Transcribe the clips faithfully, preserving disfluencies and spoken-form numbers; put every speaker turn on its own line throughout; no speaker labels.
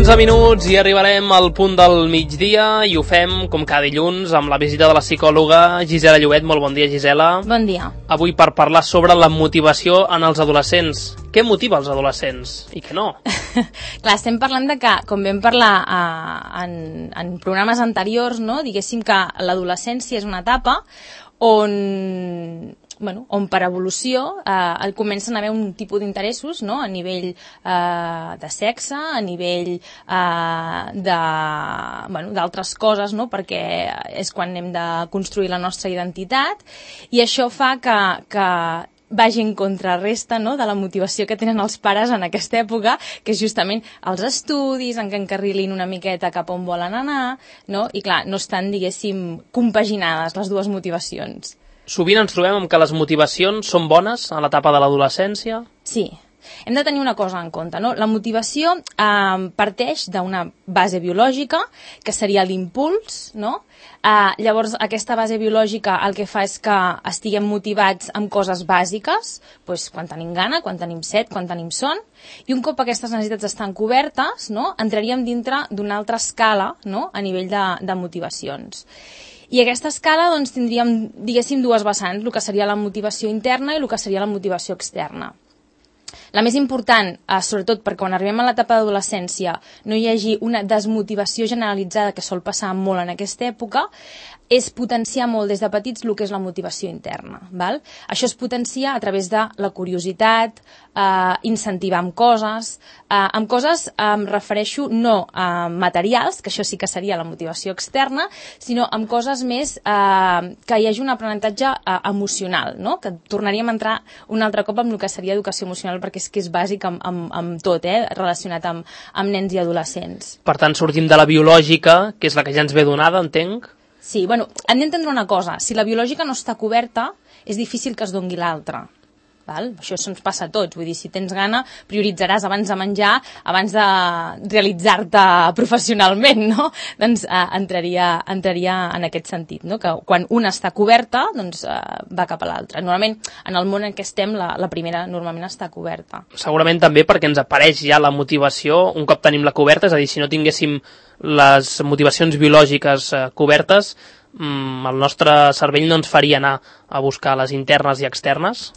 onze minuts i arribarem al punt del migdia i ho fem, com cada dilluns, amb la visita de la psicòloga Gisela Llobet. Molt bon dia, Gisela.
Bon dia.
Avui per parlar sobre la motivació en els adolescents. Què motiva els adolescents i què no?
Clar, estem parlant de que, com vam parlar uh, en, en programes anteriors, no? Diguéssim que l'adolescència és una etapa on... Bueno, on per evolució eh, comencen a haver un tipus d'interessos, no? A nivell eh, de sexe, a nivell eh, de, bueno, d'altres coses, no? Perquè és quan hem de construir la nostra identitat, i això fa que, que vagi en contrarresta, no? De la motivació que tenen els pares en aquesta època, que és justament els estudis, en què encarrilin una miqueta cap on volen anar, no? I clar, no estan, diguéssim, compaginades les dues motivacions.
Sovint ens trobem amb que les motivacions són bones a l'etapa de l'adolescència?
Sí. Hem de tenir una cosa en compte, no? La motivació eh, parteix d'una base biològica, que seria l'impuls, no? Eh, llavors, aquesta base biològica el que fa és que estiguem motivats amb coses bàsiques, doncs, quan tenim gana, quan tenim set, quan tenim son, i un cop aquestes necessitats estan cobertes, no? Entraríem dintre d'una altra escala, no? A nivell de, de motivacions. I aquesta escala, doncs, tindríem, diguéssim, dues vessants, el que seria la motivació interna i el que seria la motivació externa. La més important, eh, sobretot perquè quan arribem a l'etapa d'adolescència no hi hagi una desmotivació generalitzada, que sol passar molt en aquesta època, és potenciar molt des de petits el que és la motivació interna. Val? Això es potencia a través de la curiositat, eh, incentivar amb coses, eh, amb coses eh, em refereixo no a materials, que això sí que seria la motivació externa, sinó amb coses més eh, que hi hagi un aprenentatge eh, emocional, no? Que tornaríem a entrar un altre cop amb el que seria educació emocional, perquè és que és bàsic amb, amb, amb tot, eh? Relacionat amb, amb nens i adolescents.
Per tant, sortim de la biològica, que és la que ja ens ve donada, entenc?
Sí, bueno, hem d'entendre una cosa. Si la biològica no està coberta, és difícil que es doni l'altra. Val? Això ens passa a tots. Vull dir, si tens gana, prioritzaràs abans de menjar, abans de realitzar-te professionalment, no? Doncs eh, entraria, entraria en aquest sentit, no? Que quan una està coberta, doncs eh, va cap a l'altra. Normalment, en el món en què estem, la, la primera normalment està coberta.
Segurament també perquè ens apareix ja la motivació un cop tenim la coberta, és a dir, si no tinguéssim les motivacions biològiques eh, cobertes, mmm, el nostre cervell no ens faria anar a buscar les internes i externes.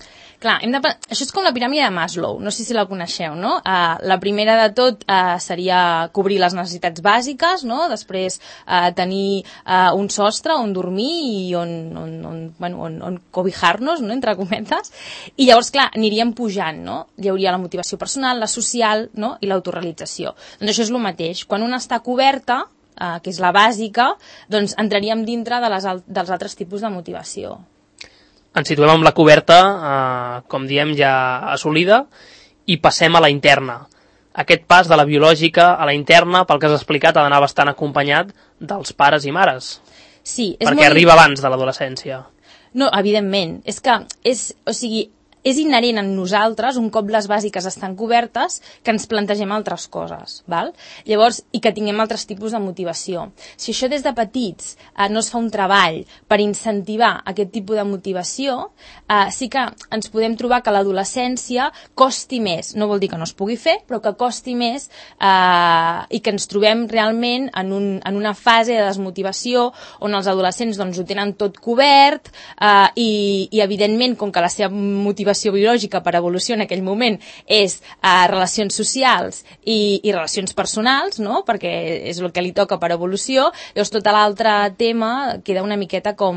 Clar, hem de... això és com la piràmide de Maslow, no sé si la coneixeu, no? Uh, la primera de tot uh, seria cobrir les necessitats bàsiques, no? Després uh, tenir uh, un sostre on dormir i on, on, on, bueno, on, on cobijar-nos, no? Entre cometes, i llavors, clar, aniríem pujant, no? Hi hauria la motivació personal, la social, no? I l'autorealització. Doncs això és el mateix. Quan una està coberta, uh, que és la bàsica, doncs entraríem dintre de les, dels altres tipus de motivació.
Ens situem amb la coberta, eh, com diem, ja assolida, i passem a la interna. Aquest pas de la biològica a la interna, pel que has explicat, ha d'anar bastant acompanyat dels pares i mares.
Sí, és
perquè
molt...
arriba abans de l'adolescència.
No, evidentment. És que, és, o sigui, és inherent en nosaltres, un cop les bàsiques estan cobertes, que ens plantegem altres coses, val? Llavors, i que tinguem altres tipus de motivació. Si això des de petits eh, no es fa un treball per incentivar aquest tipus de motivació, eh, sí que ens podem trobar que l'adolescència costi més, no vol dir que no es pugui fer, però que costi més eh, i que ens trobem realment en, un, en una fase de desmotivació on els adolescents doncs, ho tenen tot cobert eh, i, i evidentment, com que la seva motivació biològica per evolució en aquell moment és eh, relacions socials i, i relacions personals, no? Perquè és el que li toca per evolució, llavors tot l'altre tema queda una miqueta com,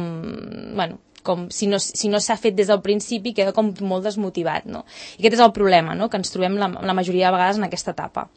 bueno, com si no, si no s'ha fet des del principi, queda com molt desmotivat, no? I aquest és el problema, no? Que ens trobem la, la majoria de vegades en aquesta etapa.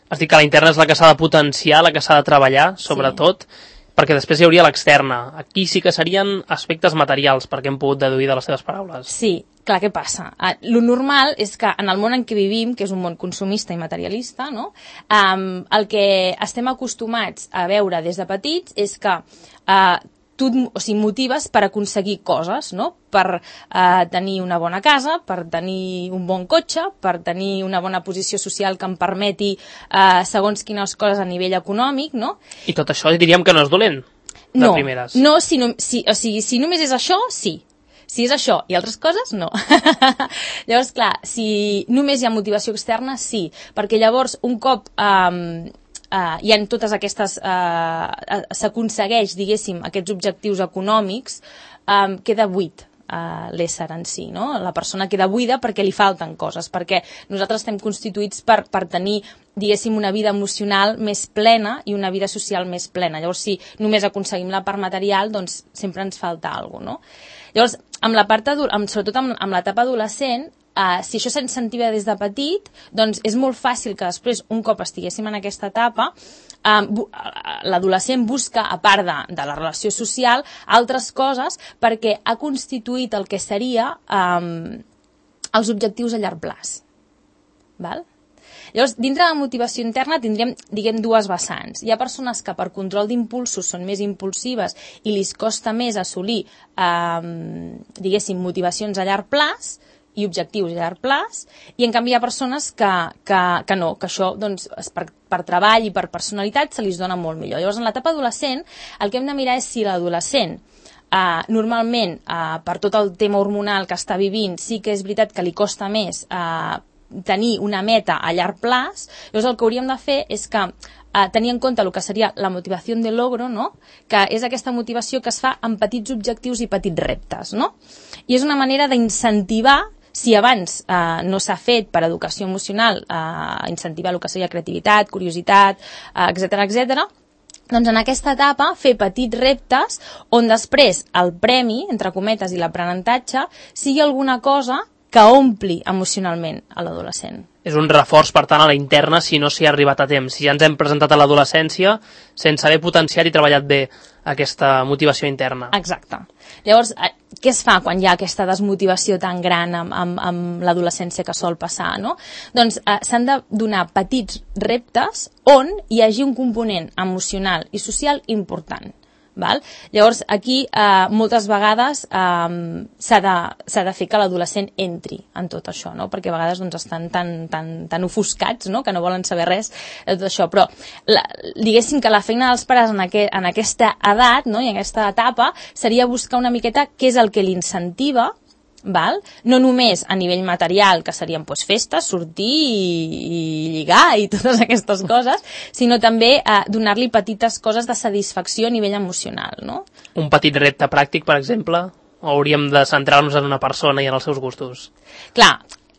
Has dit que la interna és la que s'ha de potenciar, la que s'ha de treballar, sobretot, sí. Perquè després hi hauria l'externa. Aquí sí que serien aspectes materials, perquè hem pogut deduir de les teves paraules.
Sí, clar, què passa? Uh, lo normal és que en el món en què vivim, que és un món consumista i materialista, no? um, el que estem acostumats a veure des de petits és que uh, tu o sigui, motives per aconseguir coses, no? Per eh, tenir una bona casa, per tenir un bon cotxe, per tenir una bona posició social que em permeti eh, segons quines coses a nivell econòmic, no?
I tot això diríem que no és dolent, de
no,
primeres.
No, si, no si, o sigui, si només és això, sí. Si és això i altres coses, no. Llavors, clar, si només hi ha motivació externa, sí. Perquè llavors, un cop... Eh, uh, hi ha totes aquestes... Uh, s'aconsegueix, diguéssim, aquests objectius econòmics, um, queda buit Uh, l'ésser en si, no? La persona queda buida perquè li falten coses, perquè nosaltres estem constituïts per, per tenir, diguéssim, una vida emocional més plena i una vida social més plena. Llavors, si només aconseguim la part material, doncs sempre ens falta alguna cosa, no? Llavors, amb la part adult, amb, sobretot amb, amb l'etapa adolescent, Uh, si això s'incentiva des de petit, doncs és molt fàcil que després, un cop estiguéssim en aquesta etapa, um, bu l'adolescent busca, a part de, de la relació social, altres coses perquè ha constituït el que seria um, els objectius a llarg plaç. Val? Llavors, dintre de la motivació interna tindríem, diguem, dues vessants. Hi ha persones que per control d'impulsos són més impulsives i li costa més assolir, um, diguéssim, motivacions a llarg plaç, i objectius a llarg plaç, i en canvi hi ha persones que, que, que no, que això doncs, per, per treball i per personalitat se li dona molt millor. Llavors, en l'etapa adolescent, el que hem de mirar és si l'adolescent eh, normalment, eh, per tot el tema hormonal que està vivint, sí que és veritat que li costa més eh, tenir una meta a llarg plaç. Llavors, el que hauríem de fer és que Uh, tenir en compte el que seria la motivació de logro, no? Que és aquesta motivació que es fa amb petits objectius i petits reptes, no? I és una manera d'incentivar, si abans eh, no s'ha fet per educació emocional, eh, incentivar el que seria creativitat, curiositat, eh, etcètera, etcètera, doncs en aquesta etapa fer petits reptes on després el premi, entre cometes, i l'aprenentatge sigui alguna cosa que ompli emocionalment a l'adolescent.
És un reforç, per tant, a la interna si no s'hi ha arribat a temps. Si ja ens hem presentat a l'adolescència sense haver potenciat i treballat bé aquesta motivació interna.
Exacte. Llavors, què es fa quan hi ha aquesta desmotivació tan gran amb, amb, amb l'adolescència que sol passar, no? Doncs eh, s'han de donar petits reptes on hi hagi un component emocional i social important. Val? Llavors, aquí eh, moltes vegades eh, s'ha de, s'ha de fer que l'adolescent entri en tot això, no? Perquè a vegades doncs, estan tan, tan, tan ofuscats, no? Que no volen saber res de tot això. Però la, diguéssim que la feina dels pares en, aqu en aquesta edat, no? I en aquesta etapa seria buscar una miqueta què és el que l'incentiva, val? No només a nivell material, que serien pues, festes, sortir i, i lligar i totes aquestes coses, sinó també eh, donar-li petites coses de satisfacció a nivell emocional, no?
Un petit repte pràctic, per exemple, o hauríem de centrar-nos en una persona i en els seus gustos?
Clar,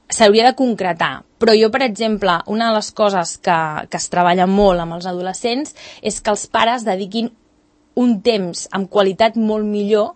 s'hauria de concretar, però jo, per exemple, una de les coses que, que es treballa molt amb els adolescents és que els pares dediquin un temps amb qualitat molt millor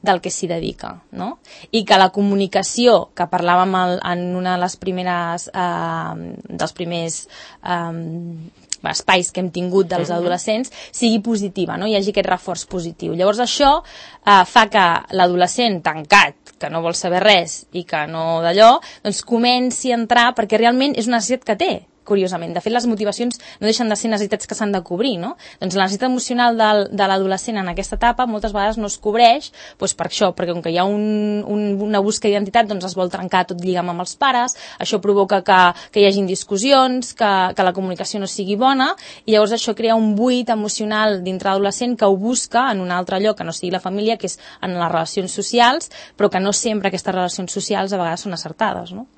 del que s'hi dedica, no? I que la comunicació, que parlàvem el, en una de les primeres, eh, dels primers eh, espais que hem tingut dels adolescents, sigui positiva, no? Hi hagi aquest reforç positiu. Llavors això eh, fa que l'adolescent tancat, que no vol saber res i que no d'allò, doncs comenci a entrar perquè realment és una necessitat que té. Curiosament. De fet, les motivacions no deixen de ser necessitats que s'han de cobrir, no? Doncs la necessitat emocional del, de l'adolescent en aquesta etapa moltes vegades no es cobreix doncs per això, perquè com que hi ha un, un, una busca d'identitat, doncs es vol trencar tot lligam amb els pares, això provoca que, que hi hagin discussions, que, que la comunicació no sigui bona, i llavors això crea un buit emocional dintre l'adolescent que ho busca en un altre lloc que no sigui la família, que és en les relacions socials, però que no sempre aquestes relacions socials a vegades són acertades, no?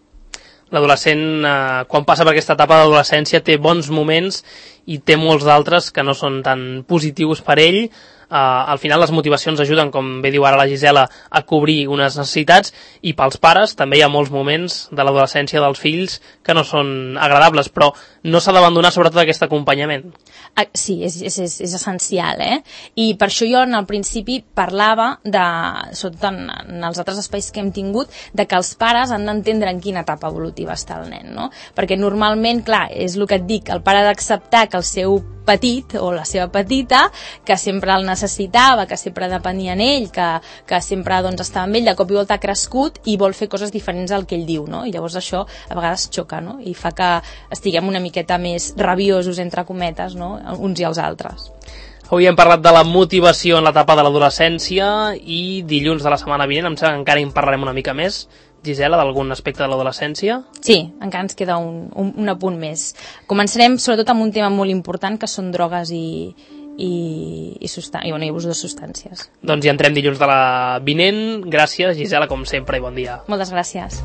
L'adolescent, eh, quan passa per aquesta etapa d'adolescència, té bons moments i té molts d'altres que no són tan positius per ell. Eh, al final les motivacions ajuden, com bé diu ara la Gisela, a cobrir unes necessitats, i pels pares també hi ha molts moments de l'adolescència dels fills que no són agradables, però no s'ha d'abandonar sobretot aquest acompanyament.
Ah, sí, és, és, és, és essencial, eh? I per això jo en el principi parlava, de, sobretot en, en els altres espais que hem tingut, de que els pares han d'entendre en quina etapa evolutiva està el nen, no? Perquè normalment, clar, és el que et dic, el pare ha d'acceptar que el seu petit o la seva petita, que sempre el necessitava, que sempre depenia d'ell, que, que sempre doncs, estava amb ell, de cop i volta ha crescut i vol fer coses diferents al que ell diu, no? I llavors això a vegades xoca, no? I fa que estiguem una miqueta més rabiosos, entre cometes, no? Uns i els altres.
Avui hem parlat de la motivació en l'etapa de l'adolescència i dilluns de la setmana vinent em sembla que encara en parlarem una mica més. Gisela, d'algun aspecte de l'adolescència?
Sí, encara ens queda un, un, un apunt més. Començarem sobretot amb un tema molt important que són drogues i, i, i, i, bueno, i abús de substàncies.
Doncs hi entrem dilluns de la vinent. Gràcies, Gisela, com sempre, i bon dia.
Moltes gràcies.